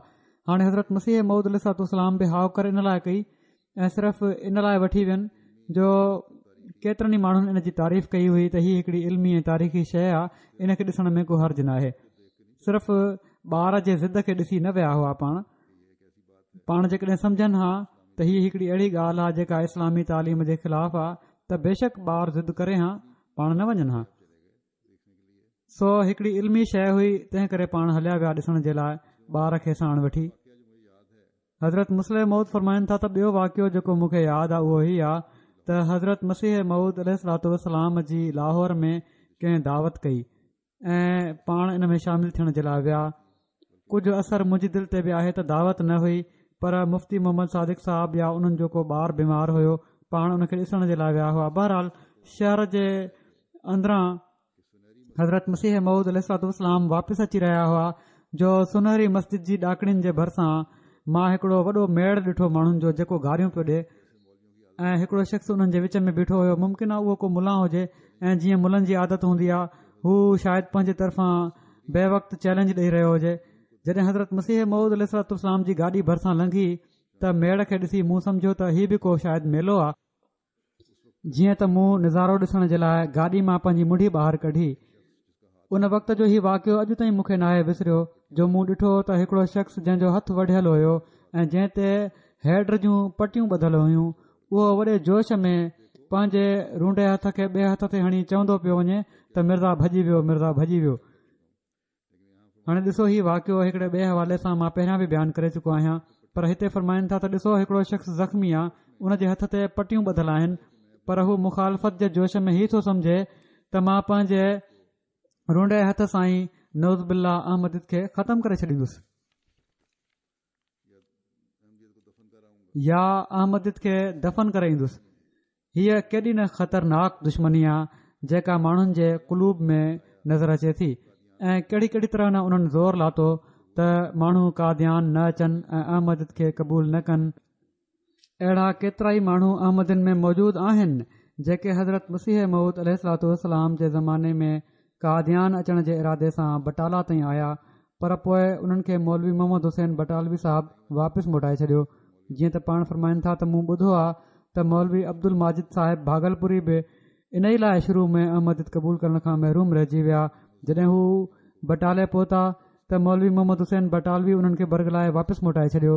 هاڻي حضرت مسيح موعود عليه الصلوة والسلام به هائوڪار ان لاء ڪئي ۽ صرف ان لاء وٺي وين جو ڪيترن ئي ماڻهن ان جي تعريف ڪئي هئي ته هي هڪڙي علمي ۽ تاريخي شيء آ، ان کي ڏسڻ ۾ ڪو حرج ناهي. صرف ٻار جي ضد کي ڏسي نه ويا هئا. پاڻ پاڻ جيڪڏهن سمجهن ها ته هي هڪڙي اهڙي ڳالهه آ جيڪا اسلامي تعليم جي خلاف آ ته بيشڪ ٻار ضد ڪري ها، پاڻ نه وڃن ها. سو هڪڙي علمي شيء هئي، تنهن ڪري پاڻ هليا ويا ڏسڻ جي لاء ٻار کي ساڻ وٺي. حضرت مصلح موعود فرمائن ٿا ته ٻيو واقعو جيڪو مون کي ياد آ اهو هي آ ته حضرت مسيح موعود عليه الصلوة والسلام جي لاهور ۾ ڪنهن دعوت ڪئي ۽ پاڻ ان ۾ شامل ٿيڻ جي لاء ويا. ڪجهه اثر منهنجي دل تي به آهي ته دعوت نه هئي پر مفتي محمد صادق صاحب يا انهن جو ڪو ٻار بيمار هيو، پاڻ ان کي ڏسڻ جي لاء ويا هئا. بهرحال شهر جي اندران حضرت مسيح موعود عليه الصلوة والسلام واپس اچي رهيا هئا جو سنهري مسجد جي ڏاڪڻين جي ڀرسان مان هڪڙو وڏو ميڙ ڏٺو ماڻهن جو جيڪو گاريون پيو ڏي ۽ هڪڙو شخص انهن جي وچ ۾ بيٺو هيو. ممڪن آهي اهو ڪو ملان هجي ۽ جيئن ملن جي عادت هوندي آهي هو شايد پنهنجي طرفان بي وقت چئلينج ڏئي رهيو هجي. جڏهن حضرت مسيح موعود عليه الصلوة والسلام جي گاڏي ڀرسان لنگهي ته ميڙ کي ڏسي مون سمجهيو ته هي به ڪو شايد ميلو آهي. جيئن ته مون نظارو ڏسڻ جي لاء گاڏي مان پنهنجي منڍي ٻاهر ڪڍي. ان وقت جو هي واقعو اڄ تائين مون کي ناهي وسريو جو مون ڏٺو ته هڪڙو شخص جنهن جو هٿ وڍيل هيو ۽ جنهن تي هيڊ جون پٽيون ٻڌل هيون اهو وڏي جوش ۾ پنهنجي رونڊي هٿ کي ٻئي هٿ تي هڻي چوندو پيو وڃي ته مرزا ڀڄي ويو، مرزا ڀڄي ويو. هاڻي ڏسو هي واقعو هڪڙي ٻئي حوالي سان مان پهريان به بيان ڪري چڪو آهيان پر هتي فرمائن ٿا ته ڏسو هڪڙو شخص زخمي آ ان جي هٿ تي پٽيون ٻڌل آهن پر هو مخالفت جي جوش ۾ هي ٿو سمجهي ته مان پنهنجي رونڊي هٿ سان ئي نعوذ بالله احمديت کي ختم ڪري ڇڏيندس يا احمديت کي دفن ڪري ايندس. هيء ڪيڏي نه خطرناڪ دشمني آ جيڪا ماڻهن جي قلوب ۾ نظر اچي ٿي ۽ ڪهڙي ڪهڙي طرح نه انهن زور لاتو ته ماڻهو قاديان نه اچن ۽ احمديت کي قبول نه ڪن. اهڙا ڪيترائي ماڻهو احمدين ۾ موجود آهن جيڪي حضرت مسيح موعود عليه الصلوة والسلام جي زماني ۾ قاديان اچڻ جي ارادي سان بٽالا تائين آيا پر پوء انهن کي مولوي محمد حسين بٽالوي صاحب واپس موٽائي ڇڏيو. جيئن ته پاڻ فرمائن ٿا ته مون ٻڌو آ ته مولوي عبدالماجد صاحب ڀاڳلپوري به ان ئي لاءِ شروع ۾ احمديت قبول ڪرڻ کان محروم رهجي ويا. جڏهن هو بٽالي پهتا ته مولوي محمد حسين بٽالوي انهن کي برغلائي واپس موٽائي ڇڏيو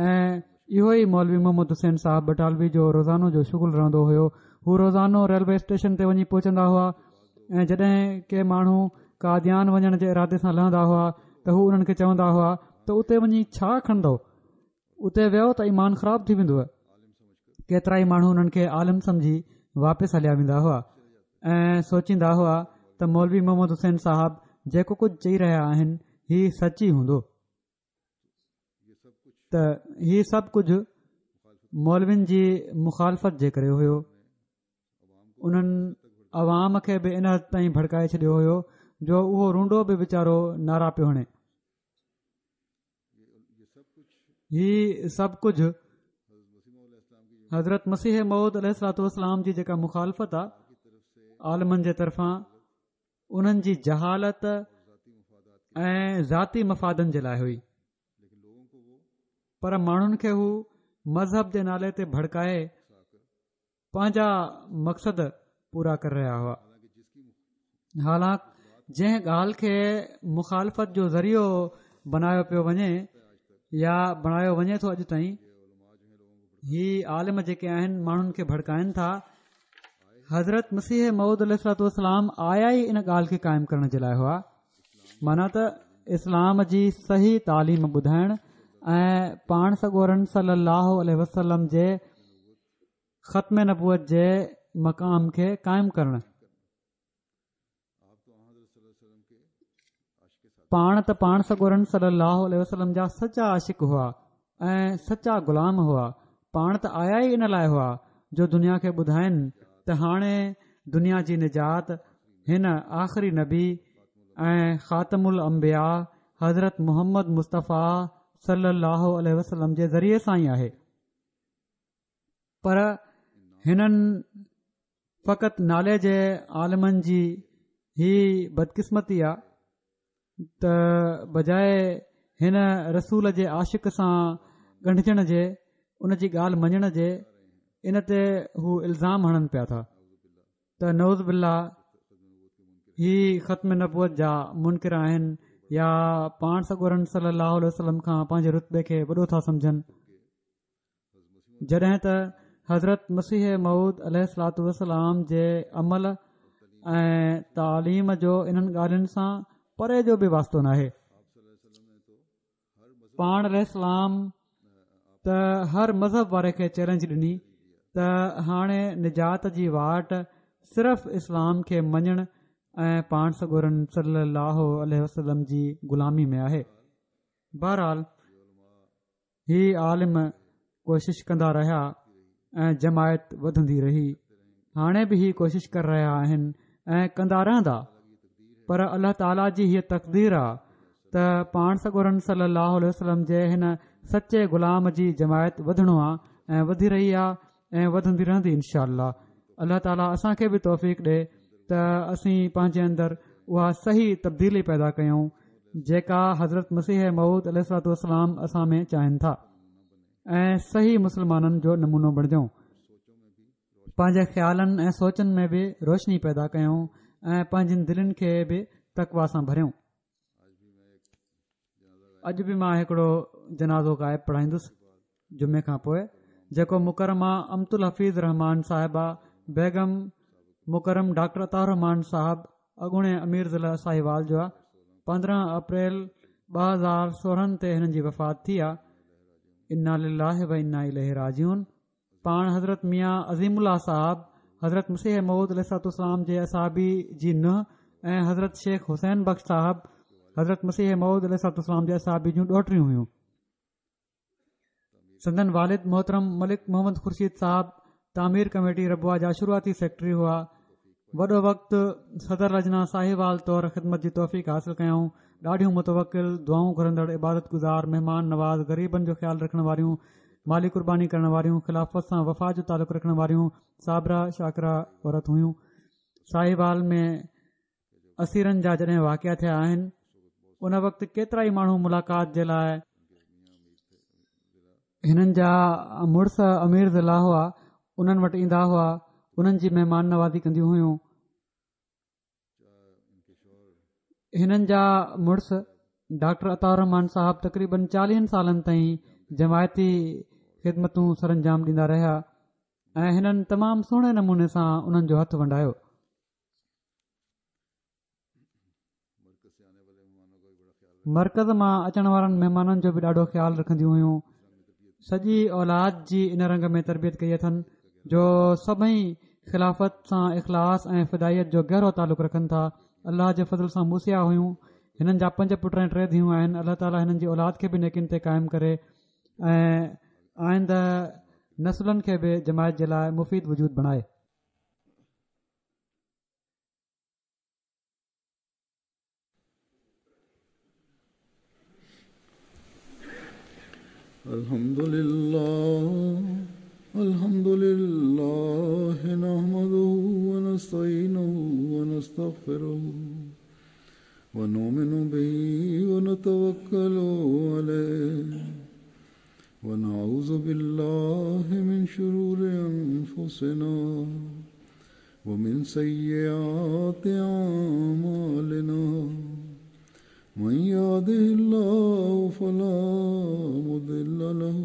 ۽ اهو ئي مولوي محمد حسين صاحب بٽالوي جو روزانو جو شغل رهندو هيو. هو روزانو ريلوي اسٽيشن تي وڃي پهچندا هئا ۽ جڏهن ڪي ماڻهو قاديان وڃڻ جي ارادي سان لهندا هئا ته هو انهن کي چوندا هئا ته اتي وڃي ڇا کڻندو، اتي ويو ته ايمان خراب ٿي ويندو. ڪيترا ئي ماڻهو انهن کي عالم سمجهي واپس هليا ويندا هئا ۽ سوچيندا هئا ته مولوي محمد حسين صاحب جيڪو ڪجهه چئي رهيا آهن هي سچ ئي هوندو. ته هي سڀ ڪجهه مولوين جي مخالفت جي ڪري هيو. انهن عوام کي به ان حد تائين ڀڙڪائي ڇڏيو هيو جو اهو رونڊو به ويچارو نعرا پيو هڻي. هي سڀ ڪجهه حضرت مسيح موعود عليه الصلوة والسلام جي جيڪا مخالفت آ عالمن جي طرفان، انهن جي جهالت ۽ ذاتي مفادن جي لاءِ هئي، پر ماڻهن کي هو مذهب جي نالي تي ڀڙڪائي پنهنجا مقصد پورا ڪري رهيا هئا. حالانڪ جنهن ڳالهه کي مخالفت جو ذريعو بنايو پيو وڃي يا بڻايو وڃي ٿو اڄ تائين، هي عالم جيڪي آهن ماڻهن کي ڀڙڪائن ٿا. حضرت مسيح موعود عليه الصلوة والسلام آيا ئي ان ڳالهه کي قائم ڪرڻ جي لاءِ هئا، معنيٰ ته اسلام جي صحيح تعليم ٻڌائڻ ۽ پاڻ سڳورن صلي الله عليه وسلم جي ختم نبوت جي مقام کي قائم ڪرڻ. پاڻ ته پاڻ سڳورن صلي الله عليه وسلم جا سچا عاشق هئا ۽ سچا غلام هئا. پاڻ ته آيا ئي ان لاءِ هئا جو دنيا کي ٻڌائن ته هاڻي دنيا جي نجات هن آخري نبي ۽ خاتم الانبياء حضرت محمد مصطفيٰ صلي الله عليه وسلم جي ذريعي سان ئي آهي. پر هنن فقط نالي جي عالمن جي هي بدقسمتي آ ته بجاءِ هن رسول جي عاشق سان ڳنڍجڻ جي، ان جي ڳالهه مڃڻ جي، ان تي هو الزام هڻن پيا ٿا ته نعوذ بالله هي ختم نبوت جا منڪر آهن يا پاڻ سڳورن صلي الله عليه وسلم کان پنهنجي رتبي کي وڏو ٿا سمجهن. جڏهن ته حضرت مسيح موعود عليه الصلوة والسلام جي عمل ۽ تعليم جو انهن ڳالهين سان پري جو به واسطو ناهي. پاڻ عليه السلام ته هر مذهب واري کي چئلينج ڏني ته هاڻي نجات جي واٽ صرف اسلام کي مڃڻ ۽ پاڻ سڳورن صلي الله عليه وسلم جي غلامي ۾ آهي. بهرحال هي عالم ڪوشش ڪندا رهيا ۽ جماعت وڌندي رهي. هاڻي به هي ڪوشش ڪري رهيا آهن ۽ ڪندا رهندا، پر الله تعاليٰ جي هيءَ تقدير آ ته پاڻ سڳورن صلي الله عليه وسلم جي هن سچي غلام جي جماعت وڌڻو آ ۽ وڌي رهي آ ۽ وڌندي رهندي انشاء الله. الله تعاليٰ اسان کي به توفيق ڏي ته اسين پنهنجي اندر اها صحيح تبديلي پيدا ڪيون جيڪا حضرت مسيح موعود عليه الصلوة والسلام اسان ۾ چاهين ٿا ۽ صحيح مسلمانن جو نمونو بڻجون. پنهنجي خيالن ۽ سوچن ۾ به روشني پيدا ڪيون ۽ پنهنجين دلين کي به تقويٰ سان ڀريون. اڄ به مان هڪڙو جنازو غائب پڙهائيندس جمعي کان پوءِ، جيڪو مڪرمه امت الحفيظ رحمان صاحبه بيگم مڪرم ڊاڪٽر عطا الرحمان صاحب اڳوڻي امير ضلع ساهيوال جو آ. پندرهن اپريل ٻه هزار سورهن تي هنن جي وفات ٿي آ. انا لله و انا اليه راجعون. پاڻ حضرت ميان عظيم الله صاحب حضرت مسيح موعود عليه الصلوة والسلام جي اصحابي جي ننهن ۽ حضرت شيخ حسين بخش صاحب حضرت مسيح موعود عليه الصلوة والسلام جي اصحابي جون ڏوهٽريون هيون. سندن والد محترم ملڪ محمد خورشيد صاحب تعمير ڪميٽي ربوه جا شروعاتي سيڪريٽري هئا. وڏو وقت صدر لجنا ساهيوال طور خدمت جي توفيق حاصل ڪيائون. ڏاڍيون متوڪل، دعائون گهرندڙ، عبادت گذار، مهمان نواز، غريبن جو خيال رکڻ واريون، مالي قرباني ڪرڻ واريون، خلافت سان وفا جو تعلق رکڻ واريون، صابره شاڪره عورت هيون. ساهيوال ۾ اسيرن جا جڏهن واقعا ٿيا آهن ان وقت ڪيترا ئي ماڻهو ملاقات جي لاءِ هنن جا مڙس امير ضلع هئا، انهن وٽ ايندا هئا. انهن جي مهمان نوازي ڪنديون هيون. هنن جا مڙس ڊاڪٽر عطاء الرحمان صاحب تقريبن چاليهن سالن تائين جماعتي خدمتون سرانجام ڏيندا رهيا ۽ هنن تمام سهڻي نموني سان انهن جو هٿ ونڊايو. مرڪز مان اچڻ وارن مهمانن جو به ڏاڍو خيال رکنديون هيون. سڄي اولاد جي ان رنگ ۾ تربيت ڪئي اٿن جو سڀئي خلافت سان اخلاص ۽ فدائيت جو گهرو تعلق رکن ٿا. الله جي فضل سان موصيه هيون. هنن جا پنج پٽ ۽ ٽي ڌيئون آهن. الله تعاليٰ هنن جي اولاد کي به نيڪين تي قائم ڪري ۽ آئنده نسلن کي به جماعت جي لاءِ مفيد وجود بڻائي. الحمد لله الحمد لله نحمده ونستعينه ونستغفره ونؤمن به ونتوكل عليه ونعوذ بالله من شرور أنفسنا ومن سيئات أعمالنا من يهده الله فلا مضل له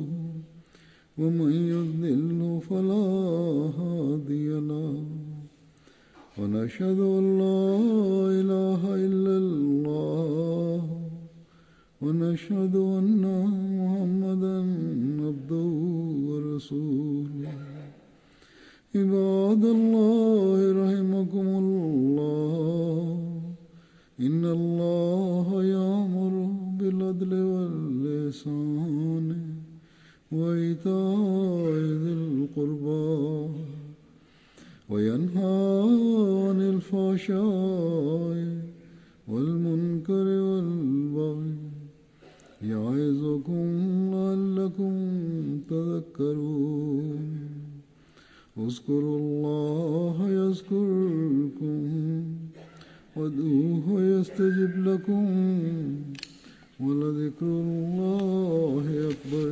ومن يضلل فلا هادي له ونشهد أن لا إله إلا الله ونشهد أن محمدا عبده ورسوله. عباد الله رحمكم الله، إن الله يأمر بالعدل والإحسان وإيتاء ذي القربى وينهى عن الفحشاء والمنكر والبغي يعظكم لعلكم تذكرون. اذكروا الله يذكركم وادعوه يستجب لكم ولذكر الله أكبر.